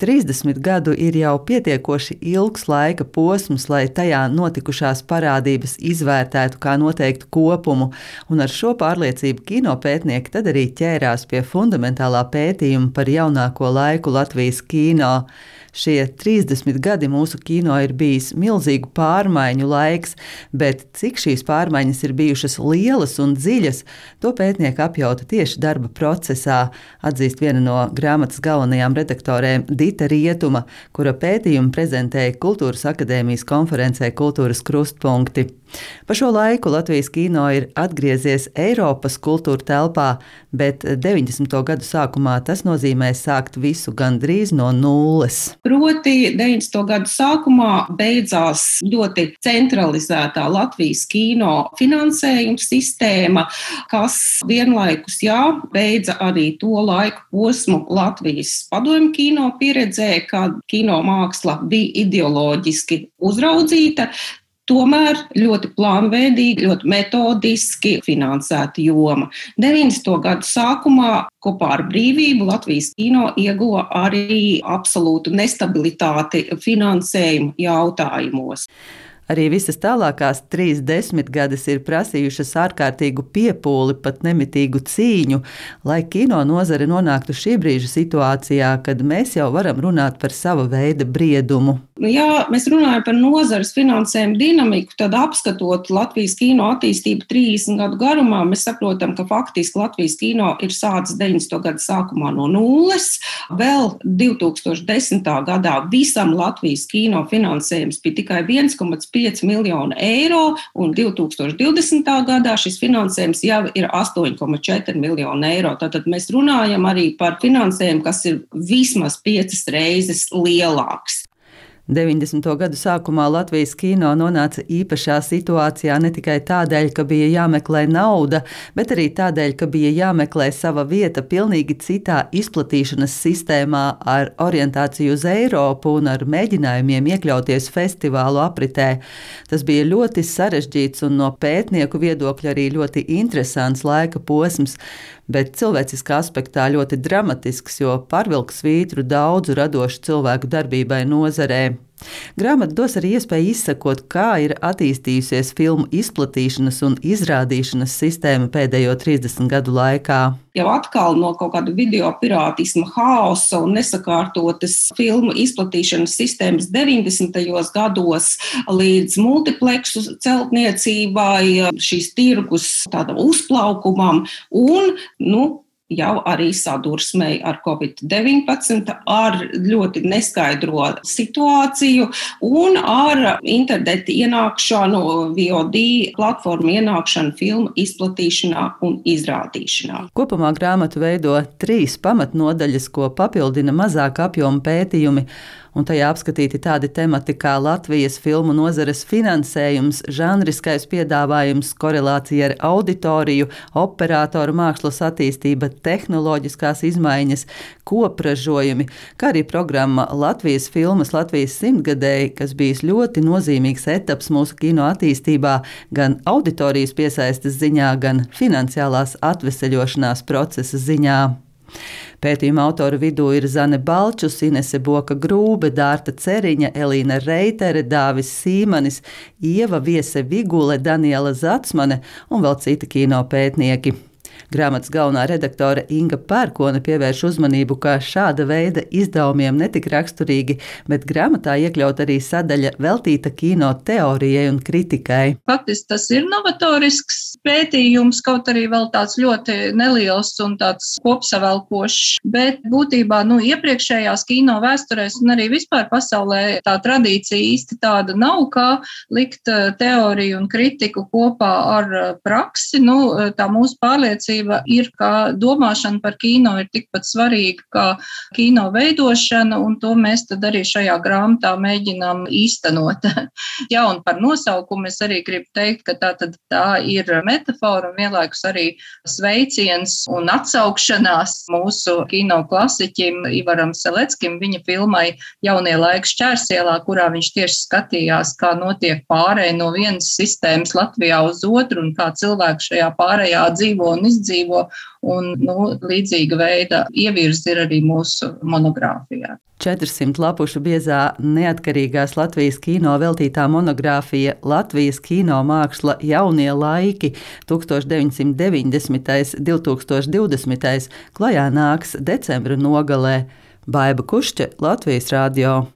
30 gadu ir jau pietiekoši ilgs laika posms, lai tajā notikušās parādības izvērtētu kā noteiktu kopumu, un ar šo pārliecību kinopētnieki tad arī ķērās pie fundamentālā pētījuma par jaunāko laiku Latvijas kino. Šie 30 gadi mūsu kino ir bijis milzīgu pārmaiņu laiks, bet cik šīs pārmaiņas ir bijušas lielas un dziļas, to pētnieki apjauta tieši darba procesā, atzīst viena no grāmatas galvenajām redaktorēm Dita Rietuma, kura pētījumu prezentēja Kultūras akadēmijas konferencē Kultūras krustpunkti. Pa šo laiku Latvijas kino ir atgriezies Eiropas kultūra telpā, bet 90. gadu sākumā tas nozīmē sākt visu gandrīz no nulles. Proti 90. gadu sākumā beidzās ļoti centralizētā Latvijas kino finansējuma sistēma, kas vienlaikus beidza arī to laiku posmu Latvijas padomju kino pieredzē, kad kino māksla bija ideoloģiski uzraudzīta, tomēr ļoti plānveidīgi, ļoti metodiski finansēta joma. 90. gadu sākumā kopā ar brīvību Latvijas kino ieguva arī absolūtu nestabilitāti finansējuma jautājumos. Arī visas tālākās 30 gadus ir prasījušas ārkārtīgu piepūli, pat nemitīgu cīņu, lai kino nozare nonāktu šī brīža situācijā, kad mēs jau varam runāt par sava veida briedumu. Ja mēs runājam par nozares finansējumu dinamiku, tad apskatot Latvijas kino attīstību 30 gadu garumā, mēs saprotam, ka faktiski Latvijas kino ir sācis 90. gadu sākumā no nulles. Vēl 2010. gadā visam Latvijas kino finansējums bija tikai 1,5 miljonu eiro, un 2020. gadā šis finansējums jau ir 8,4 miljonu eiro. Tātad mēs runājam arī par finansējumu, kas ir vismaz 5 reizes lielāks. 90. gadu sākumā Latvijas kino nonāca īpašā situācijā ne tikai tādēļ, ka bija jāmeklē nauda, bet arī tādēļ, ka bija jāmeklē sava vieta pilnīgi citā izplatīšanas sistēmā ar orientāciju uz Eiropu un ar mēģinājumiem iekļauties festivālu apritē. Tas bija ļoti sarežģīts un no pētnieku viedokļa arī ļoti interesants laika posms, bet cilvēciskā aspektā ļoti dramatisks, jo pārvilka svītru daudzu radošu cilvēku darbībai nozarē. Grāmata dos arī iespēju izsekot, kā ir attīstījusies filmu izplatīšanas un izrādīšanas sistēma pēdējo 30 gadu laikā. Jau atkal no kaut kāda video pirātisma haosa un nesakārtotas filmu izplatīšanas sistēmas 90. gados līdz multipleksu celtniecībai, šīs tirgus tādam uzplaukumam un, jau arī sadursmei ar Covid-19, ar ļoti neskaidro situāciju un ar internetu ienākšanu, VOD platformu ienākšanu filmu izplatīšanā un izrādīšanā. Kopumā grāmatu veido 3 pamatnodaļas, ko papildina mazāk apjoma pētījumi, un tajā apskatīti tādi temati kā Latvijas filmu nozares finansējums, žanriskais piedāvājums, korelācija ar auditoriju, operatoru mākslas attīstība, tehnoloģiskās izmaiņas, kopražojumi, kā arī programma Latvijas filmas Latvijas simtgadēji, kas bijis ļoti nozīmīgs etaps mūsu kino attīstībā, gan auditorijas piesaistes ziņā, gan finansiālās atveseļošanās procesa ziņā. Pētījuma autoru vidū ir Zane Balčus, Inese Boka-Grūbe, Dārta Ceriņa, Elīna Reitere, Dāvis Sīmanis, Ieva Viese Vigule, Daniela Zatsmane un vēl citi kino pētnieki. Grāmatas galvenā redaktore Inga Pērkone pievērš uzmanību, ka šāda veida izdevumiem netik raksturīgi, bet grāmatā iekļaut arī sadaļa veltīta kino teorijai un kritikai. Faktiski tas ir novatorisks pētījums, kaut arī vēl tāds ļoti neliels un tāds kopsavelkošs, bet būtībā iepriekšējās kino vēsturēs un arī vispār pasaulē tā tradīcija īsti tāda nav, kā likt teoriju un kritiku kopā ar praksi. Tā mūsu pārliecība ir, ka domāšana par kino ir tikpat svarīga kā kino veidošana, un to mēs tad arī šajā grāmatā mēģinām īstenot. Un par nosaukumu es arī gribu teikt, ka tā ir metafora un vienlaikus arī sveiciens un atsaukšanās mūsu kino klasiķim Ivaram Seleckim, viņa filmai Jaunie laiki Šķērsielā, kurā viņš tieši skatījās, kā notiek pārēja no vienas sistēmas Latvijā uz otru un kā cilvēki šajā pārējā dzīvo un izdzīvo. izdzīvo, un līdzīga veida ievirzi ir arī mūsu monogrāfijā. 400 lapušu biezā neatkarīgās Latvijas kino veltītā monogrāfija Latvijas kino māksla jaunie laiki 1990–2020 klajā nāks decembra nogalē. Baiba Kušķe, Latvijas radio.